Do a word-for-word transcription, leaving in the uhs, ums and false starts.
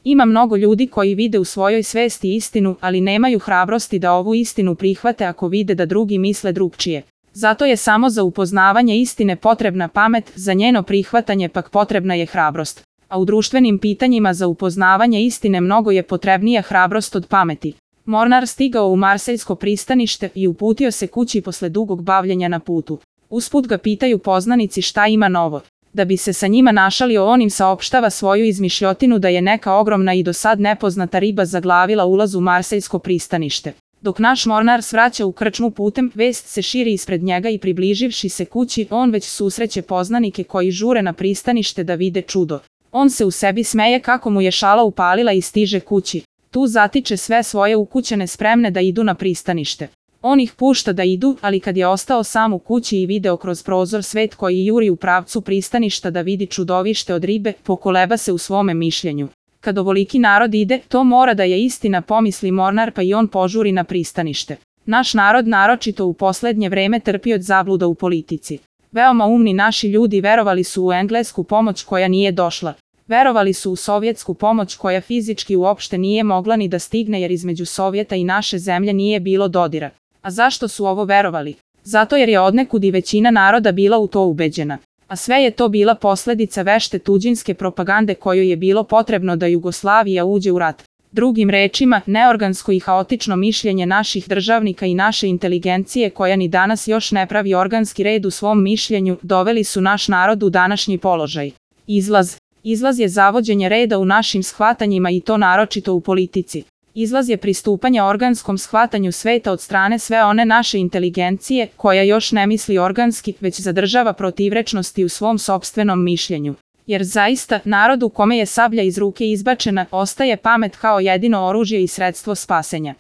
Ima mnogo ljudi koji vide u svojoj svesti istinu, ali nemaju hrabrosti da ovu istinu prihvate ako vide da drugi misle drugčije. Zato je samo za upoznavanje istine potrebna pamet, za njeno prihvatanje pak potrebna je hrabrost. A u društvenim pitanjima za upoznavanje istine mnogo je potrebnija hrabrost od pameti. Mornar stigao u Marseljsko pristanište i uputio se kući posle dugog bavljenja na putu. Usput ga pitaju poznanici šta ima novo. Da bi se sa njima našalio, on im saopštava svoju izmišljotinu da je neka ogromna i do sad nepoznata riba zaglavila ulaz u Marseljsko pristanište. Dok naš mornar svraća u krčmu putem, vest se širi ispred njega i približivši se kući, on već susreće poznanike koji žure na pristanište da vide čudo. On se u sebi smeje kako mu je šala upalila i stiže kući. Tu zatiče sve svoje ukućane spremne da idu na pristanište. On ih pušta da idu, ali kad je ostao sam u kući i video kroz prozor svet koji juri u pravcu pristaništa da vidi čudovište od ribe, pokoleba se u svome mišljenju. Kad ovoliki narod ide, to mora da je istina, pomisli mornar, pa i on požuri na pristanište. Naš narod naročito u poslednje vreme trpi od zabluda u politici. Veoma umni naši ljudi verovali su u englesku pomoć koja nije došla. Verovali su u sovjetsku pomoć koja fizički uopšte nije mogla ni da stigne jer između Sovjeta i naše zemlje nije bilo dodira. A zašto su ovo verovali? Zato jer je odnekud i većina naroda bila u to ubeđena. A sve je to bila posledica vešte tuđinske propagande kojoj je bilo potrebno da Jugoslavija uđe u rat. Drugim rečima, neorgansko i haotično mišljenje naših državnika i naše inteligencije koja ni danas još ne pravi organski red u svom mišljenju, doveli su naš narod u današnji položaj. Izlaz. Izlaz je zavođenje reda u našim shvatanjima i to naročito u politici. Izlaz je pristupanje organskom shvatanju sveta od strane sve one naše inteligencije koja još ne misli organski, već zadržava protivrečnosti u svom sopstvenom mišljenju. Jer zaista, narod u kome je sablja iz ruke izbačena, ostaje pamet kao jedino oružje i sredstvo spasenja.